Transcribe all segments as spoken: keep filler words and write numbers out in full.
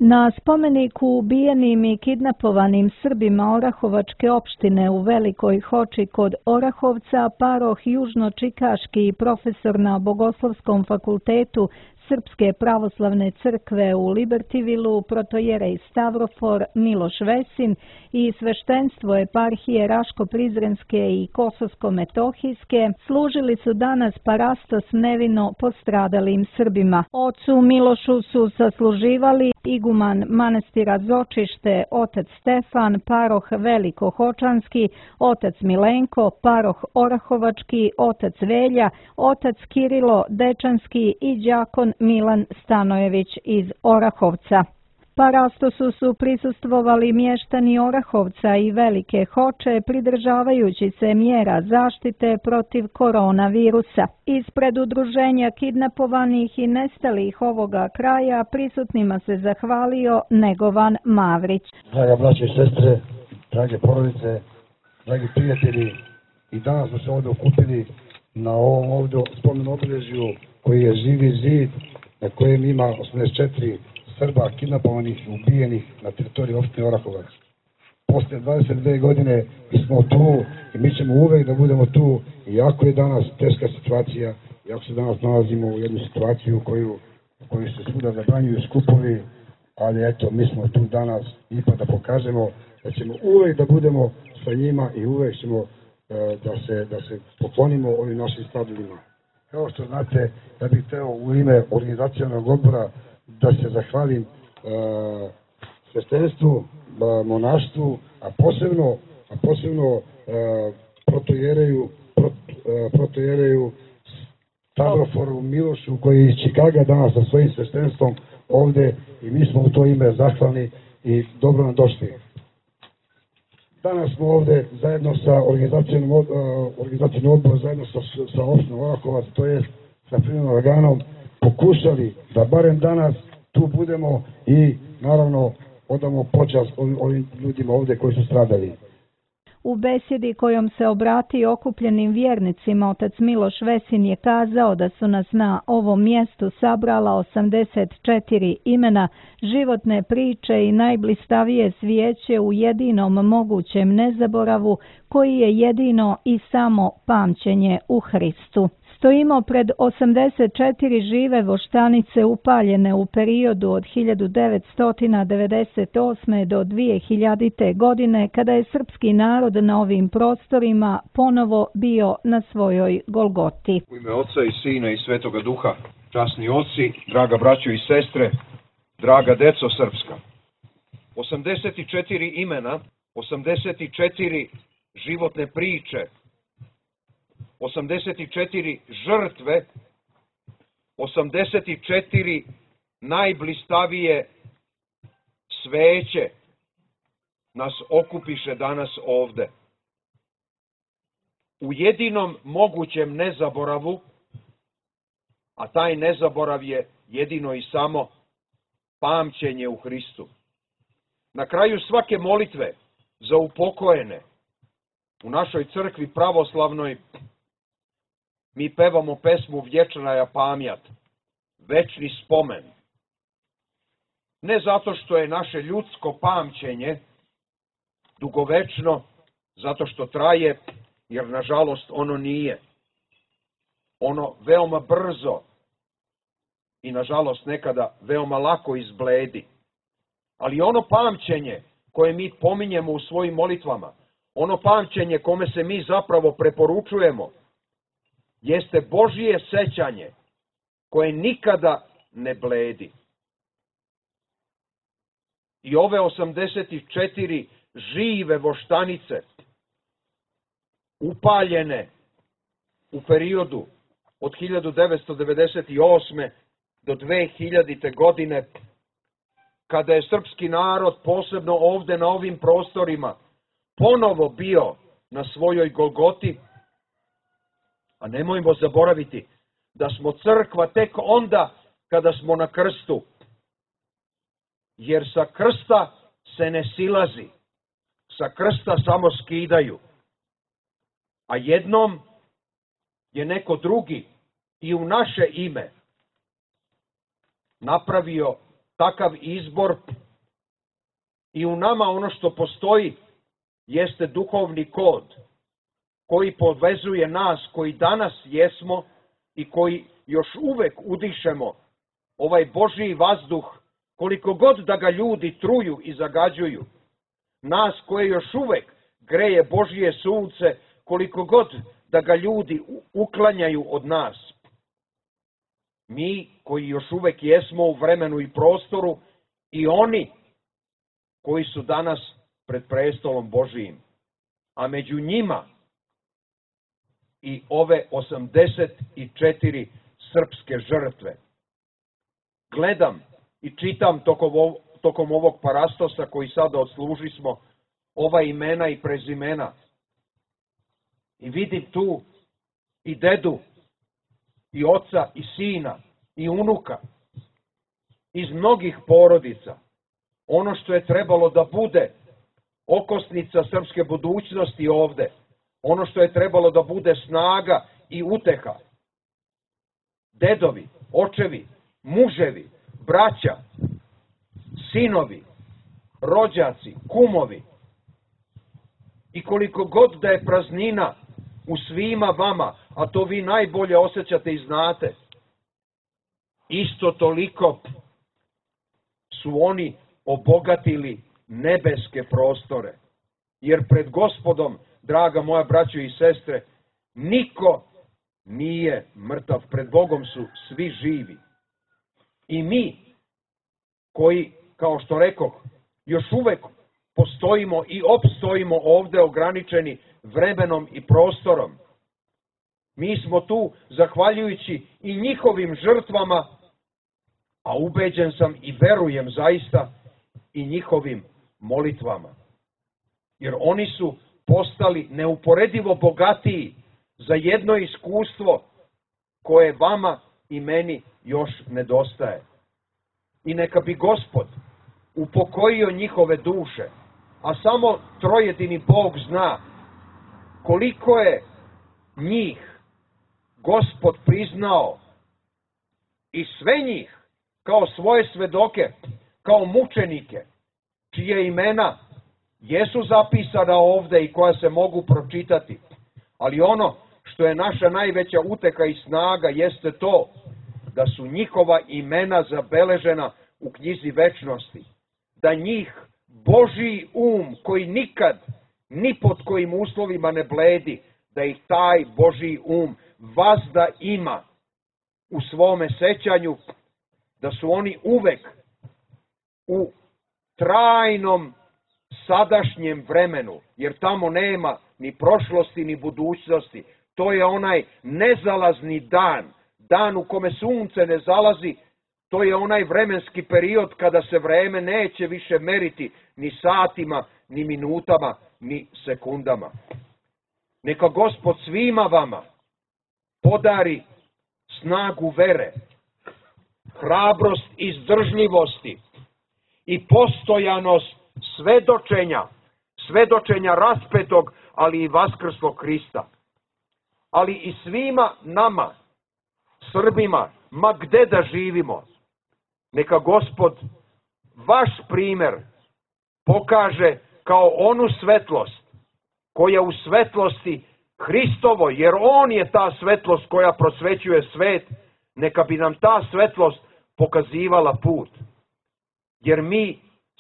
Na spomeniku ubijenim i kidnapovanim Srbima Orahovačke opštine u Velikoj Hoči kod Orahovca, paroh južno-čikaški i profesor na Bogoslovskom fakultetu Srpske pravoslavne crkve u Libertivilu, protojerej Stavrofor Miloš Vesin i sveštenstvo eparhije Raško-Prizrenske i Kosovsko-Metohijske služili su danas parastos nevino postradalim Srbima. Ocu Milošu su sasluživali iguman manastira Zočište, otac Stefan, paroh Velikohočanski, otac Milenko, paroh Orahovački, otac Velja, otac Kirilo Dečanski i đakon Milan Stanojević iz Orahovca. Parastosu su prisustvovali mještani Orahovca i Velike Hoče, pridržavajući se mjera zaštite protiv koronavirusa. Ispred udruženja kidnapovanih i nestalih ovoga kraja prisutnima se zahvalio Negovan Mavrić. Draga braće i sestre, drage porodice, dragi prijatelji, i danas smo se ovdje okupili na ovom ovdje spomen obilježju koji je živi zid, na kojem ima osamdeset četiri Srba kidnapovanih i ubijenih na teritoriji opštine Orahovac. Posle dvadeset dve godine mi smo tu i mi ćemo uvek da budemo tu, iako je danas teška situacija, iako se danas nalazimo u jednu situaciju u koju, koju se svuda zabranjuju skupovi, ali eto, mi smo tu danas ipak da pokažemo da ćemo uvek da budemo sa njima i uvek ćemo uh, da, se, da se poklonimo ovim našim stradalima. Kao što znate, ja bih hteo u ime organizacionog odbora da se zahvalim uh, sveštenstvu, uh, monaštvu, a posebno, a posebno uh, protojereju, prot, uh, protojereju Stavroforu Milošu koji je iz Čikaga danas sa svojim sveštenstvom ovde i mi smo u to ime zahvalni i dobro nam došli. Danas smo ovde zajedno sa organizacijom, uh, organizacijom odbora, zajedno sa, sa opštinom Orahovac, to je sa primjenom organom, pokušali da barem danas tu budemo i naravno odamo počast ovim ljudima ovde koji su stradali. U besjedi kojom se obrati okupljenim vjernicima, otac Miloš Vesin je kazao da su nas na ovom mjestu sabrala osamdeset četiri imena, životne priče i najblistavije svijeće u jedinom mogućem nezaboravu koji je jedino i samo pamćenje u Hristu. Stojimo pred osamdeset četiri žive voštanice upaljene u periodu od hiljadu devetsto devedeset osme. do dvije hiljadite. godine, kada je srpski narod na ovim prostorima ponovo bio na svojoj Golgoti. U ime Oca i Sina i Svetoga Duha, časni oci, draga braćo i sestre, draga deco srpska. osamdeset četiri imena, osamdeset četiri životne priče, osamdeset četiri žrtve, osamdeset četiri najblistavije sveće nas okupiše danas ovde. U jedinom mogućem nezaboravu, a taj nezaborav je jedino i samo pamćenje u Hristu. Na kraju svake molitve za upokojene u našoj crkvi pravoslavnoj mi pevamo pesmu Vječnaja pamjat, večni spomen. Ne zato što je naše ljudsko pamćenje dugovečno, zato što traje, jer nažalost ono nije. Ono veoma brzo i nažalost nekada veoma lako izbledi. Ali ono pamćenje koje mi pominjemo u svojim molitvama, ono pamćenje kome se mi zapravo preporučujemo, jeste Božije sećanje koje nikada ne bledi. I ove osamdeset četiri žive voštanice, upaljene u periodu od hiljadu devetsto devedeset osme. do dve hiljadite. godine, kada je srpski narod, posebno ovde na ovim prostorima, ponovo bio na svojoj Golgoti, a nemojmo zaboraviti da smo crkva tek onda kada smo na krstu. Jer sa krsta se ne silazi, sa krsta samo skidaju. A jednom je neko drugi i u naše ime napravio takav izbor i u nama ono što postoji jeste duhovni kod koji povezuje nas koji danas jesmo i koji još uvek udišemo ovaj Božji vazduh, koliko god da ga ljudi truju i zagađuju. Nas koje još uvek greje Božje sunce, koliko god da ga ljudi uklanjaju od nas. Mi koji još uvek jesmo u vremenu i prostoru i oni koji su danas pred prestolom Božijim. A među njima i ove osamdeset četiri srpske žrtve. Gledam i čitam tokom, ov, tokom ovog parastosa koji sada odslužismo, ova imena i prezimena. I vidim tu i dedu, i oca, i sina, i unuka, iz mnogih porodica. Ono što je trebalo da bude okosnica srpske budućnosti ovde, ono što je trebalo da bude snaga i uteha. Dedovi, očevi, muževi, braća, sinovi, rođaci, kumovi. I koliko god da je praznina u svima vama, a to vi najbolje osjećate i znate, isto toliko su oni obogatili nebeske prostore. Jer pred Gospodom, draga moja braćo i sestre, niko nije mrtav, pred Bogom su svi živi. I mi, koji, kao što rekoh, još uvek postojimo i opstojimo ovde ograničeni vremenom i prostorom. Mi smo tu zahvaljujući i njihovim žrtvama, a ubeđen sam i verujem zaista i njihovim molitvama. Jer oni su postali neuporedivo bogatiji za jedno iskustvo koje vama i meni još nedostaje. I neka bi Gospod upokojio njihove duše, a samo trojedini Bog zna koliko je njih Gospod priznao i sve njih kao svoje svedoke, kao mučenike, čije imena jesu zapisana ovde i koja se mogu pročitati. Ali ono što je naša najveća uteka i snaga jeste to da su njihova imena zabeležena u knjizi večnosti. Da njih Božji um koji nikad, ni pod kojim uslovima ne bledi, da ih taj Božji um vazda ima u svome sećanju, da su oni uvek u trajnom sadašnjem vremenu, jer tamo nema ni prošlosti ni budućnosti. To je onaj nezalazni dan, dan u kome sunce ne zalazi, to je onaj vremenski period kada se vreme neće više meriti ni satima, ni minutama, ni sekundama. Neka Gospod svima vama podari snagu vere, hrabrost izdržljivosti i postojanost svedočenja, svedočenja raspetog, ali i vaskrslog Hrista. Ali i svima nama, Srbima, ma gde da živimo, neka Gospod vaš primer pokaže kao onu svetlost koja u svetlosti Hristovo, jer On je ta svetlost koja prosvećuje svet, neka bi nam ta svetlost pokazivala put. Jer mi,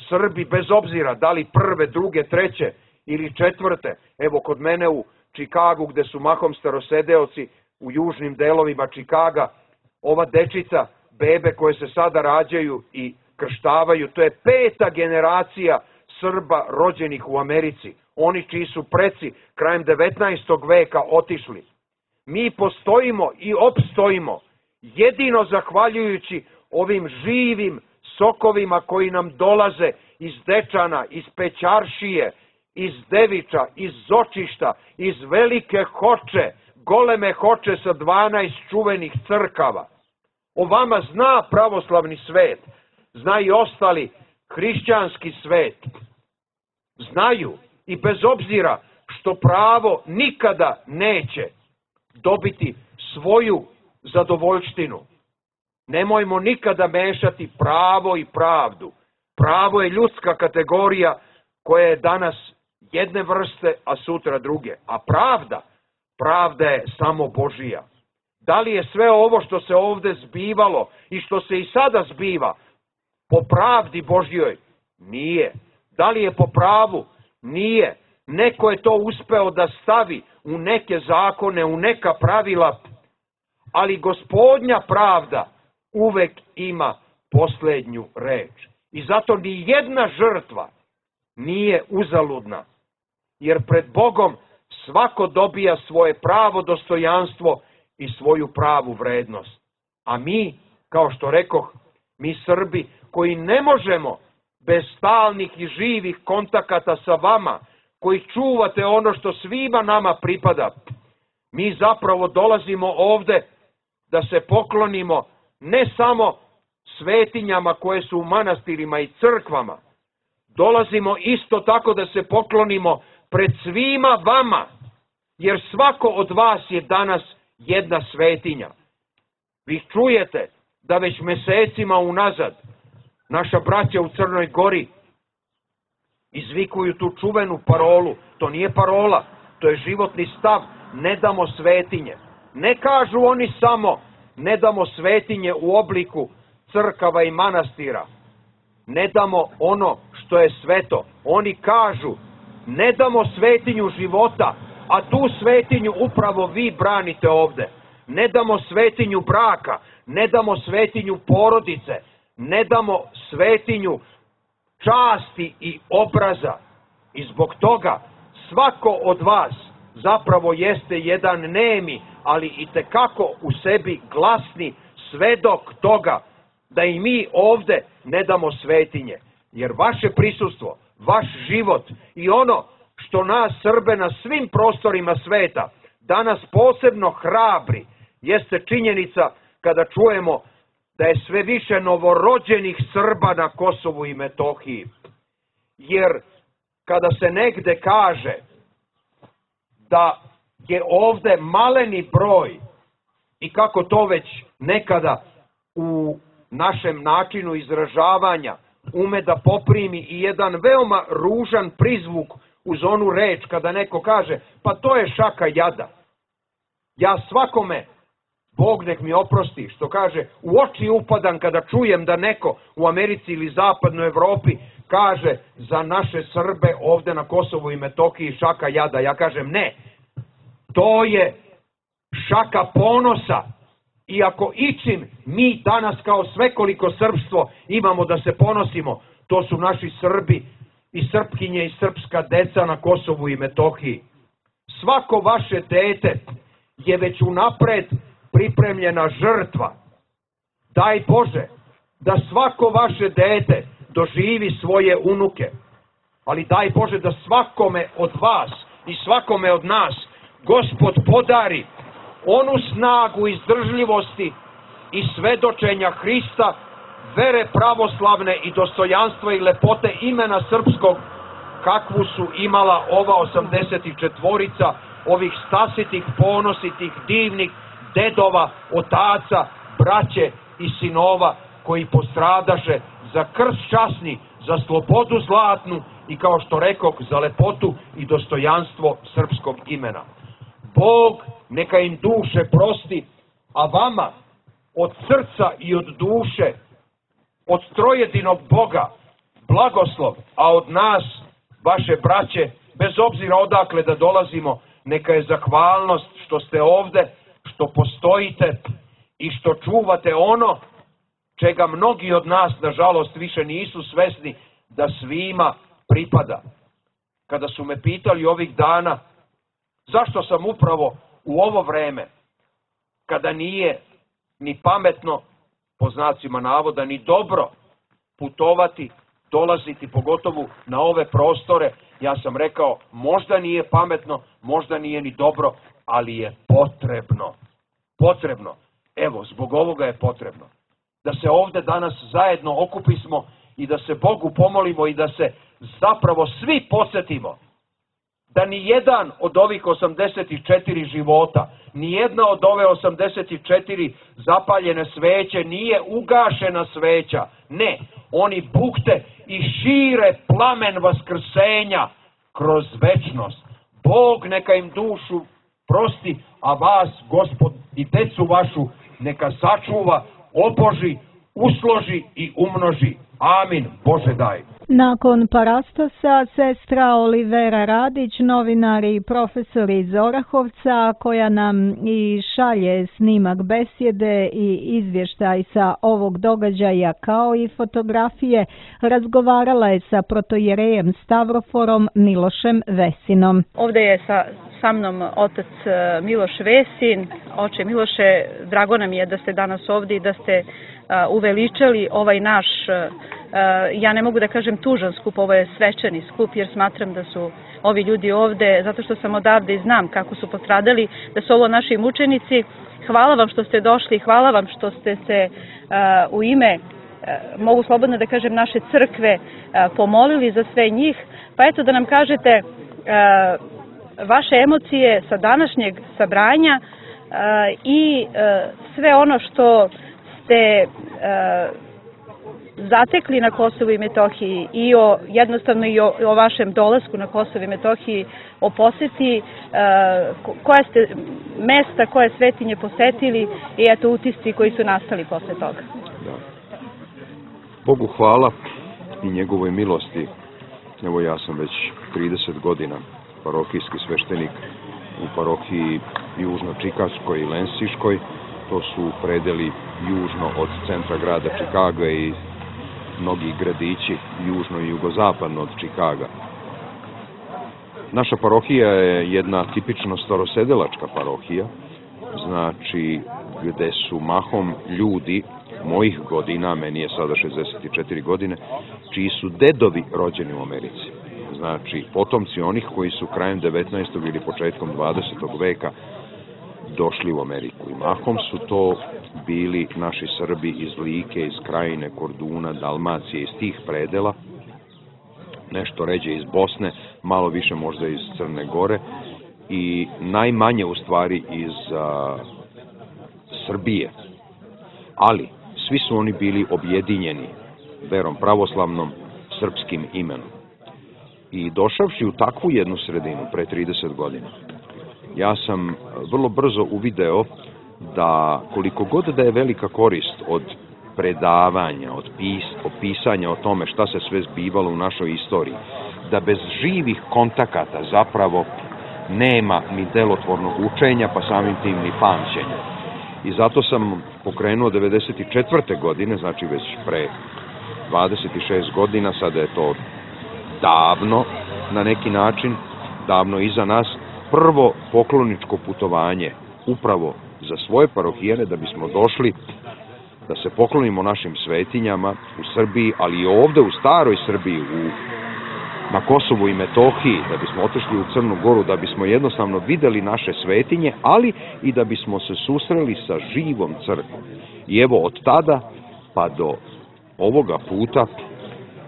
Srbi, bez obzira da li prve, druge, treće ili četvrte, evo kod mene u Čikagu gde su mahom starosedeoci u južnim delovima Čikaga, ova dečica, bebe koje se sada rađaju i krštavaju, to je peta generacija Srba rođenih u Americi. Oni čiji su preci krajem devetnaestog veka otišli. Mi postojimo i opstojimo jedino zahvaljujući ovim živim sokovima koji nam dolaze iz Dečana, iz Pećaršije, iz Deviča, iz Zočišta, iz Velike Hoče, goleme Hoče sa dvanaest čuvenih crkava. O vama zna pravoslavni svet, zna i ostali hrišćanski svet. Znaju i bez obzira što pravo nikada neće dobiti svoju zadovoljštinu, Nemojmo nikada mešati pravo i pravdu. Pravo je ljudska kategorija koja je danas jedne vrste, a sutra druge. A pravda, pravda je samo Božija. Da li je sve ovo što se ovde zbivalo i što se i sada zbiva po pravdi Božjoj? Nije. Da li je po pravu? Nije. Neko je to uspeo da stavi u neke zakone, u neka pravila, ali Gospodnja pravda uvek ima posljednju reč. I zato ni jedna žrtva nije uzaludna, jer pred Bogom svako dobija svoje pravo dostojanstvo i svoju pravu vrednost. A mi, kao što rekoh, mi Srbi koji ne možemo bez stalnih i živih kontakata sa vama, koji čuvate ono što svima nama pripada, mi zapravo dolazimo ovde da se poklonimo ne samo svetinjama koje su u manastirima i crkvama, dolazimo isto tako da se poklonimo pred svima vama, jer svako od vas je danas jedna svetinja. Vi čujete da već mesecima unazad naša braća u Crnoj Gori izvikuju tu čuvenu parolu. To nije parola, to je životni stav. Ne damo svetinje. Ne kažu oni samo ne damo svetinje u obliku crkava i manastira. Ne damo ono što je sveto. Oni kažu ne damo svetinju života, a tu svetinju upravo vi branite ovde. Ne damo svetinju braka, ne damo svetinju porodice, ne damo svetinju časti i obraza. I zbog toga svako od vas zapravo jeste jedan nemi, ali itekako u sebi glasni svedok toga da i mi ovde ne damo svetinje. Jer vaše prisustvo, vaš život i ono što nas Srbe na svim prostorima sveta danas posebno hrabri, jeste činjenica kada čujemo da je sve više novorođenih Srba na Kosovu i Metohiji. Jer kada se negde kaže da je ovde maleni broj i kako to već nekada u našem načinu izražavanja ume da poprimi i jedan veoma ružan prizvuk uz onu reč kada neko kaže pa to je šaka jada. Ja svakome, Bog nek mi oprosti, što kaže, u oči upadam kada čujem da neko u Americi ili zapadnoj Evropi kaže za naše Srbe ovde na Kosovu i Metohiji šaka jada. Ja kažem ne, to je šaka ponosa. I ako ičim mi danas kao svekoliko srpstvo imamo da se ponosimo, to su naši Srbi i Srpkinje i srpska deca na Kosovu i Metohiji. Svako vaše dete je već unapred pripremljena žrtva. Daj Bože da svako vaše dete doživi svoje unuke, ali daj Bože da svakome od vas i svakome od nas Gospod podari onu snagu izdržljivosti i svedočenja Hrista, vere pravoslavne i dostojanstva i lepote imena srpskog, kakvu su imala ova osamdeset četvorica, ovih stasitih, ponositih, divnih dedova, otaca, braće i sinova koji postradaše za krst časni, za slobodu zlatnu i kao što rekog za lepotu i dostojanstvo srpskog imena. Bog neka im duše prosti, a vama od srca i od duše, od trojedinog Boga, blagoslov, a od nas, vaše braće, bez obzira odakle da dolazimo, neka je zahvalnost što ste ovde, što postojite i što čuvate ono čega mnogi od nas, nažalost, više nisu svesni da svima pripada. Kada su me pitali ovih dana zašto sam upravo u ovo vreme, kada nije ni pametno, po znacima navoda, ni dobro putovati, dolaziti, pogotovo na ove prostore, ja sam rekao, možda nije pametno, možda nije ni dobro, ali je potrebno. Potrebno. Evo, zbog ovoga je potrebno. Da se ovde danas zajedno okupismo i da se Bogu pomolimo i da se zapravo svi podsjetimo da ni jedan od ovih osamdeset četiri života, ni jedna od ove osamdeset četiri zapaljene sveće nije ugašena sveća. Ne, oni bukte i šire plamen vaskrsenja kroz večnost. Bog neka im dušu prosti, a vas, Gospod, i decu vašu neka sačuva, oboži, usloži i umnoži. Amin. Bože daj. Nakon parastosa, sestra Olivera Radić, novinar i profesor iz Orahovca, koja nam i šalje snimak besjede i izvještaj sa ovog događaja kao i fotografije, razgovarala je sa protojerejem Stavroforom Milošem Vesinom. Ovdje je sa, sa mnom otac Miloš Vesin. Oče Miloše, drago nam je da ste danas ovdje i da ste uveličali ovaj naš, ja ne mogu da kažem tužan skup, ovo je svečani skup, jer smatram da su ovi ljudi ovde, zato što sam odavde i znam kako su postradali, da su ovo naši mučenici. Hvala vam što ste došli, hvala vam što ste se u ime, mogu slobodno da kažem, naše crkve pomolili za sve njih. Pa eto da nam kažete vaše emocije sa današnjeg sabranja i sve ono što ste zatekli na Kosovu i Metohiji i o, jednostavno i o, o vašem dolasku na Kosovu i Metohiji, o poseti, koje ste mesta, koje svetinje posetili i eto utisci koji su nastali posle toga. Da. Bogu hvala i njegovoj milosti. Evo ja sam već trideset godina parohijski sveštenik u parohiji Južno-Čikaškoj i Lensiškoj. To su predeli južno od centra grada Čikaga i mnogi gradići južno i jugozapadno od Čikaga. Naša parohija je jedna tipično starosedelačka parohija, znači gde su mahom ljudi mojih godina, meni je sada šezdeset četiri godine, čiji su dedovi rođeni u Americi. Znači potomci onih koji su krajem devetnaestog ili početkom dvadesetog veka došli u Ameriku. I mahom su to bili naši Srbi iz Like, iz Krajine, Korduna, Dalmacije, iz tih predela, nešto ređe iz Bosne, malo više možda iz Crne Gore i najmanje u stvari iz a, Srbije. Ali svi su oni bili objedinjeni verom pravoslavnom, srpskim imenom. I došavši u takvu jednu sredinu pre trideset godina, ja sam vrlo brzo uvideo da koliko god da je velika korist od predavanja, od pis, opisanja o tome šta se sve zbivalo u našoj istoriji, da bez živih kontakata zapravo nema ni delotvornog učenja, pa samim tim ni pamćenja. I zato sam pokrenuo devedeset četvrte godine, znači već pre dvadeset šest godina, sada je to davno na neki način, davno iza nas, prvo pokloničko putovanje upravo za svoje parohijane da bismo došli da se poklonimo našim svetinjama u Srbiji, ali i ovde u staroj Srbiji, u, na Kosovu i Metohiji, da bismo otišli u Crnu Goru, da bismo jednostavno videli naše svetinje, ali i da bismo se susreli sa živom crkvom. I evo od tada pa do ovoga puta,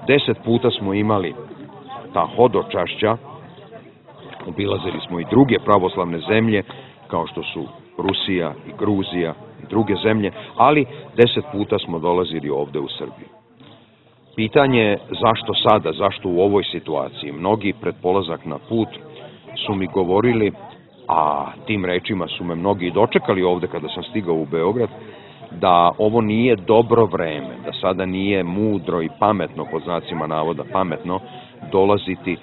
deset puta smo imali ta hodočašća, obilazili smo i druge pravoslavne zemlje, kao što su Rusija i Gruzija i druge zemlje, ali deset puta smo dolazili ovde u Srbiju. Pitanje je zašto sada, zašto u ovoj situaciji? Mnogi pred polazak na put su mi govorili, a tim rečima su me mnogi dočekali ovde kada sam stigao u Beograd, da ovo nije dobro vreme, da sada nije mudro i pametno, pod znacima navoda pametno, dolaziti,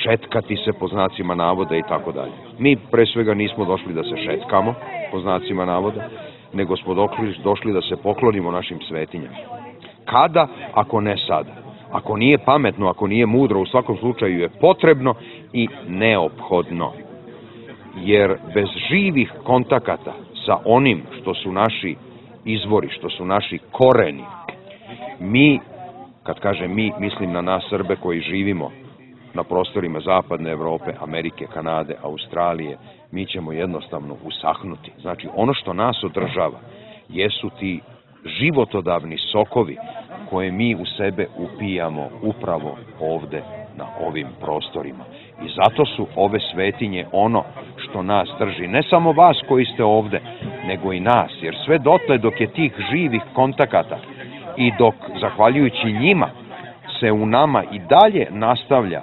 šetkati se po znacima navoda i tako dalje. Mi pre svega nismo došli da se šetkamo po znacima navoda, nego smo došli, došli da se poklonimo našim svetinjama. Kada, ako ne sada? Ako nije pametno, ako nije mudro, u svakom slučaju je potrebno i neophodno. Jer bez živih kontakata sa onim što su naši izvori, što su naši koreni, mi, kad kažem mi, mislim na nas Srbe koji živimo na prostorima Zapadne Evrope, Amerike, Kanade, Australije, mi ćemo jednostavno usahnuti. Znači, ono što nas održava jesu ti životodavni sokovi koje mi u sebe upijamo upravo ovde na ovim prostorima. I zato su ove svetinje ono što nas drži. Ne samo vas koji ste ovde, nego i nas. Jer sve dotle dok je tih živih kontakata i dok, zahvaljujući njima, se u nama i dalje nastavlja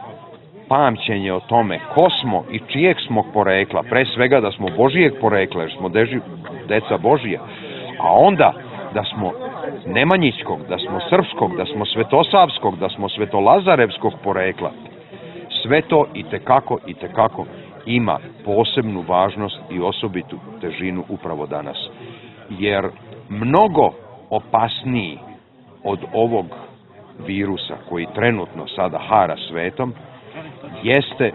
pamćenje o tome ko smo i čijeg smo porekla, pre svega da smo Božijeg porekla, jer smo deži, deca Božija, a onda da smo Nemanjićkog, da smo Srpskog, da smo Svetosavskog, da smo Svetolazarevskog porekla. Sve to i tekako i tekako ima posebnu važnost i osobitu težinu upravo danas. Jer mnogo opasniji od ovog virusa koji trenutno sada hara svetom jeste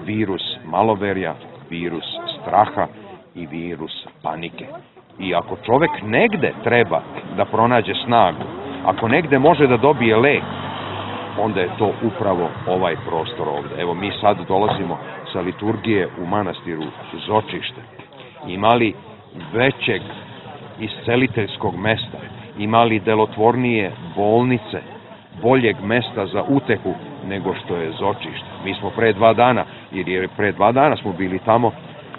virus maloverja, virus straha i virus panike. I ako čovek negde treba da pronađe snagu, ako negde može da dobije lek, onda je to upravo ovaj prostor ovde. Evo, mi sad dolazimo sa liturgije u manastiru Zočište. Imali većeg isceliteljskog mesta, imali delotvornije bolnice, boljeg mesta za utehu nego što je Zočište. Mi smo pre dva dana, jer je pre dva dana smo bili tamo,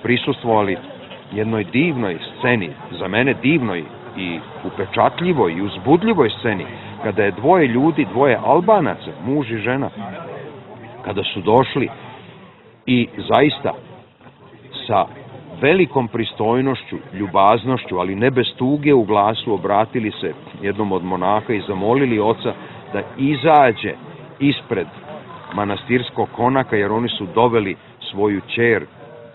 prisustvovali jednoj divnoj sceni, za mene divnoj i upečatljivoj i uzbudljivoj sceni, kada je dvoje ljudi, dvoje Albanaca, muž i žena, kada su došli i zaista sa velikom pristojnošću, ljubaznošću, ali ne bez tuge u glasu, obratili se jednom od monaha i zamolili oca da izađe ispred manastirskog konaka, jer oni su doveli svoju ćer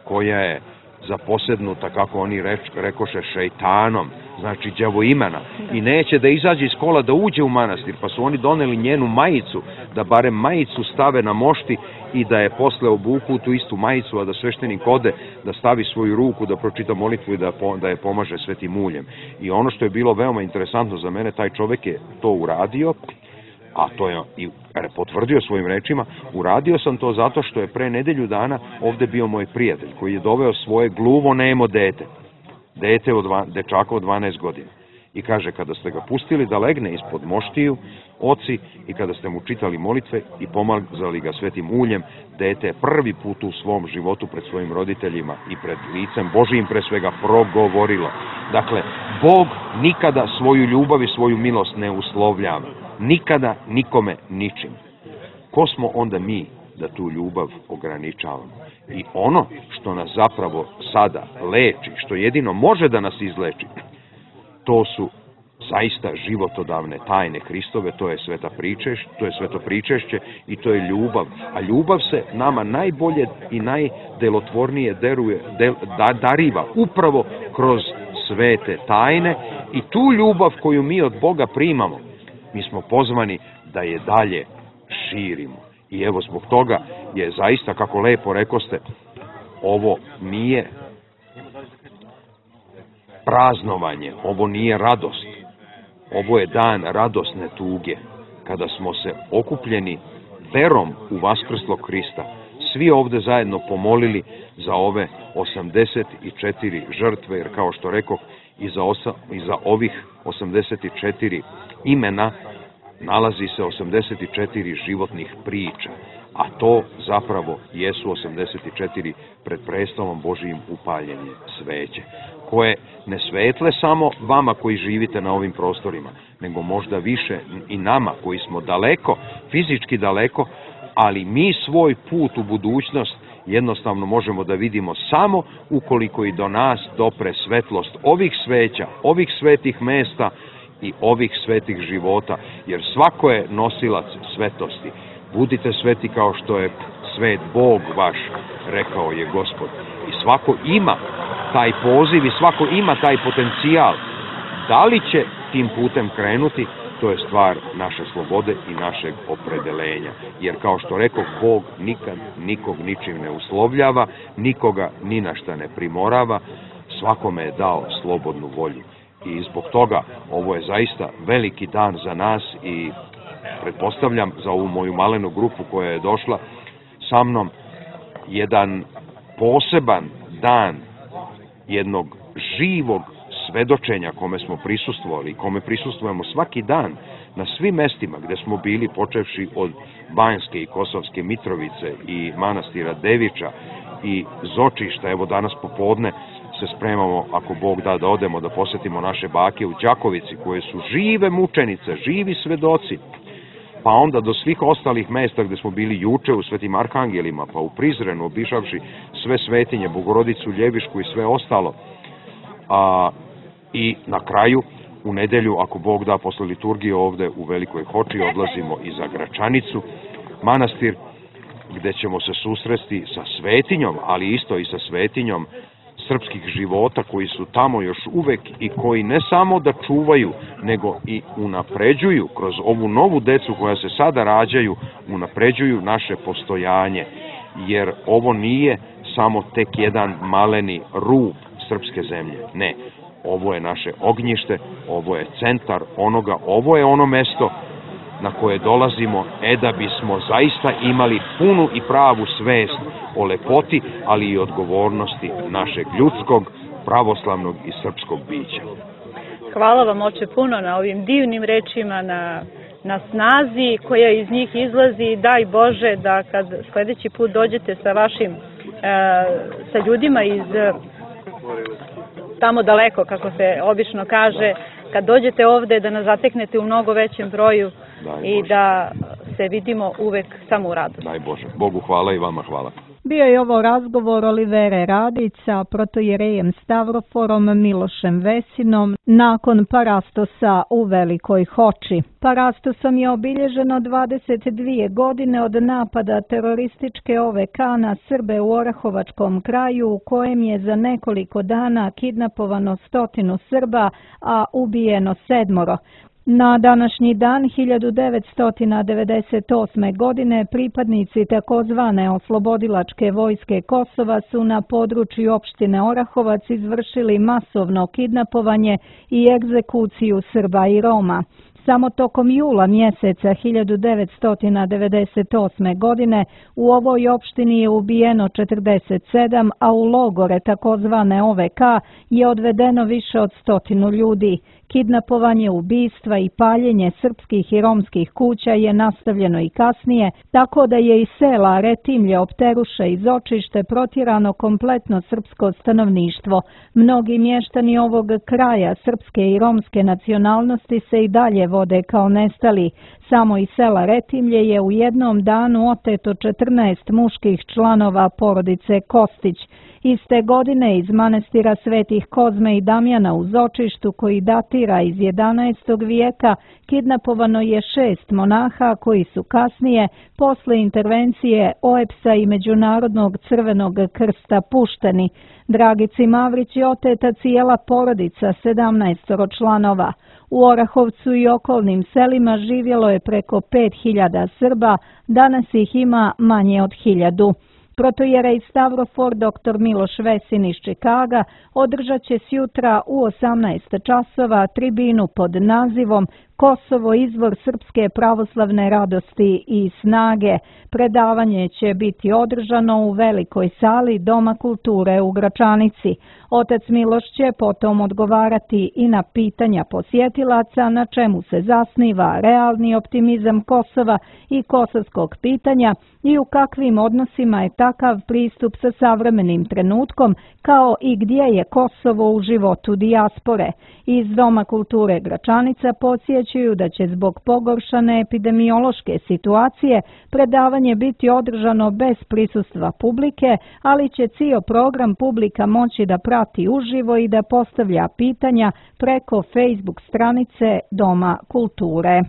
koja je zaposednuta, kako oni reč, rekoše, šejtanom, znači đavoimana, i neće da izađe iz kola da uđe u manastir, pa su oni doneli njenu majicu, da barem majicu stave na mošti i da je posle obuku tu istu majicu, a da sveštenik ode, da stavi svoju ruku, da pročita molitvu i da, da je pomaže svetim uljem. I ono što je bilo veoma interesantno za mene, taj čovek je to uradio, a to je i potvrdio svojim rečima, uradio sam to zato što je pre nedelju dana ovde bio moj prijatelj koji je doveo svoje gluvo nemo dete, dete od dva, dečaka od dvanaest godina. I kaže, kada ste ga pustili da legne ispod moštiju, oci, i kada ste mu čitali molitve i pomazali ga svetim uljem, dete je prvi put u svom životu pred svojim roditeljima i pred licem Božijim pre svega progovorilo. Dakle, Bog nikada svoju ljubav i svoju milost ne uslovljava. Nikada nikome ničim. Ko smo onda mi da tu ljubav ograničavamo? I ono što nas zapravo sada leči, što jedino može da nas izleči, to su zaista životodavne tajne Hristove, to je sveta pričešće, to je sveto pričešće i to je ljubav. A ljubav se nama najbolje i najdelotvornije deruje, del, da, dariva upravo kroz svete tajne, i tu ljubav koju mi od Boga primamo, mi smo pozvani da je dalje širimo. I evo, zbog toga je zaista, kako lepo rekoste, ovo nije praznovanje, ovo nije radost. Ovo je dan radosne tuge, kada smo se okupljeni verom u vaskrslog Hrista, svi ovde zajedno pomolili za ove osamdeset četiri žrtve, jer kao što rekoh, i za, osa, i za ovih osamdeset četiri imena nalazi se osamdeset četiri životnih priča, a to zapravo jesu osamdeset četiri pred prestolom Božijim upaljenje sveće, koje ne svetle samo vama koji živite na ovim prostorima, nego možda više i nama koji smo daleko, fizički daleko, ali mi svoj put u budućnost jednostavno možemo da vidimo samo ukoliko i do nas dopre svetlost ovih sveća, ovih svetih mesta i ovih svetih života, jer svako je nosilac svetosti. Budite sveti kao što je svet Bog vaš, rekao je Gospod. I svako ima taj poziv i svako ima taj potencijal. Da li će tim putem krenuti, to je stvar naše slobode i našeg opredelenja. Jer kao što rekao, Bog nikad nikog ničim ne uslovljava, nikoga ni na šta ne primorava, svakome je dao slobodnu volju. I zbog toga ovo je zaista veliki dan za nas i pretpostavljam za ovu moju malenu grupu koja je došla sa mnom jedan poseban dan jednog živog svedočenja kome smo prisustvovali, kome prisustvujemo svaki dan na svim mestima gde smo bili, počevši od Banjske i Kosovske Mitrovice i manastira Deviča i Zočišta, evo danas popodne se spremamo, ako Bog da, da odemo da posetimo naše bake u Đakovici, koje su žive mučenice, živi svedoci, pa onda do svih ostalih mesta gde smo bili juče u Svetim Arhangelima, pa u Prizrenu, obišavši sve svetinje, Bogorodicu Ljevišku i sve ostalo. A, i na kraju, u nedelju, ako Bog da, posle liturgije ovde u Velikoj Hoči odlazimo i za Gračanicu, manastir gde ćemo se susresti sa svetinjom, ali isto i sa svetinjom srpskih života koji su tamo još uvek i koji ne samo da čuvaju, nego i unapređuju kroz ovu novu decu koja se sada rađaju, unapređuju naše postojanje, jer ovo nije samo tek jedan maleni rub srpske zemlje, ne. Ovo je naše ognjište, ovo je centar onoga, ovo je ono mesto na koje dolazimo, e da bismo zaista imali punu i pravu svest o lepoti, ali i odgovornosti našeg ljudskog, pravoslavnog i srpskog bića. Hvala vam, oče, puno na ovim divnim rečima, na, na snazi koja iz njih izlazi. Daj Bože da kad sledeći put dođete sa vašim, e, sa ljudima iz tamo daleko, kako se obično kaže, kad dođete ovde da nas zateknete u mnogo većem broju i da se vidimo uvek samo u radosti. Daj Bože. Bogu hvala i vama hvala. Bio je ovo razgovor Olivere Radić sa protojerejem Stavroforom Milošem Vesinom nakon Parastosa u Velikoj Hoči. Parastosom je obilježeno dvadeset dvije godine od napada terorističke O V K na Srbe u Orahovačkom kraju, u kojem je za nekoliko dana kidnapovano stotinu Srba, a ubijeno sedmoro. Na današnji dan hiljadu devetsto devedeset osme. godine pripadnici takozvane oslobodilačke vojske Kosova su na području opštine Orahovac izvršili masovno kidnapovanje i egzekuciju Srba i Roma. Samo tokom jula mjeseca hiljadu devetsto devedeset osme. godine u ovoj opštini je ubijeno četrdeset sedam, a u logore takozvane O V K je odvedeno više od stotinu ljudi. Kidnapovanje, ubistva i paljenje srpskih i romskih kuća je nastavljeno i kasnije, tako da je iz sela Retimlje, Opteruša i Zočište protjerano kompletno srpsko stanovništvo. Mnogi mještani ovog kraja srpske i romske nacionalnosti se i dalje vode kao nestali. Samo iz sela Retimlje je u jednom danu oteto četrnaest muških članova porodice Kostić. Iste godine iz manastira Svetih Kozme i Damjana u Zočištu, koji datira iz jedanaestog vijeka, kidnapovano je šest monaha koji su kasnije, posle intervencije O E P S-a i Međunarodnog crvenog krsta, pušteni. Dragici Mavrić je oteta cijela porodica, sedamnaestoro članova. U Orahovcu i okolnim selima živjelo je preko pet hiljada Srba, danas ih ima manje od hiljadu. Protojerej Stavrofor doktor Miloš Vesin iz Čikaga održat će sjutra u osamnaest časova tribinu pod nazivom Kosovo, izvor srpske pravoslavne radosti i snage. Predavanje će biti održano u velikoj sali Doma kulture u Gračanici. Otac Miloš će potom odgovarati i na pitanja posjetilaca na čemu se zasniva realni optimizam Kosova i kosovskog pitanja i u kakvim odnosima je takav pristup sa savremenim trenutkom, kao i gdje je Kosovo u životu dijaspore. Iz Doma kulture Gračanica podsjećaju da će zbog pogoršane epidemiološke situacije predavanje biti održano bez prisustva publike, ali će cijel program publika moći da prati uživo i da postavlja pitanja preko Facebook stranice Doma kulture.